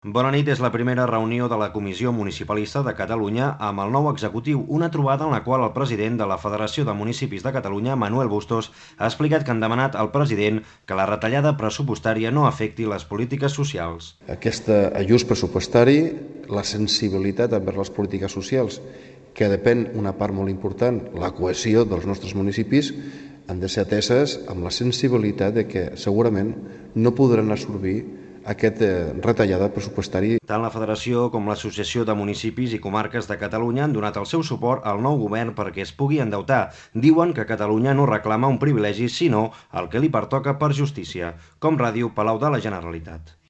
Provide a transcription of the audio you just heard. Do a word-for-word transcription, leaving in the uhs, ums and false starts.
Bona nit, és la primera reunió de la Comissió Municipalista de Catalunya amb el nou executiu, una trobada en la qual el president de la Federació de Municipis de Catalunya, Manuel Bustos, ha explicat que han demanat al president que la retallada pressupostària no afecti les polítiques socials. Aquest ajust pressupostari, la sensibilitat envers les polítiques socials, que depèn una part molt important, la cohesió dels nostres municipis, han de ser ateses amb la sensibilitat de que segurament no podran absorbir aquesta retallada pressupostària. Tant la Federació com l'Associació de Municipis i Comarques de Catalunya han donat el seu suport al nou govern perquè es pugui endeutar. Diuen que Catalunya no reclama un privilegi, sinó el que li pertoca per justícia. Com Ràdio, Palau de la Generalitat.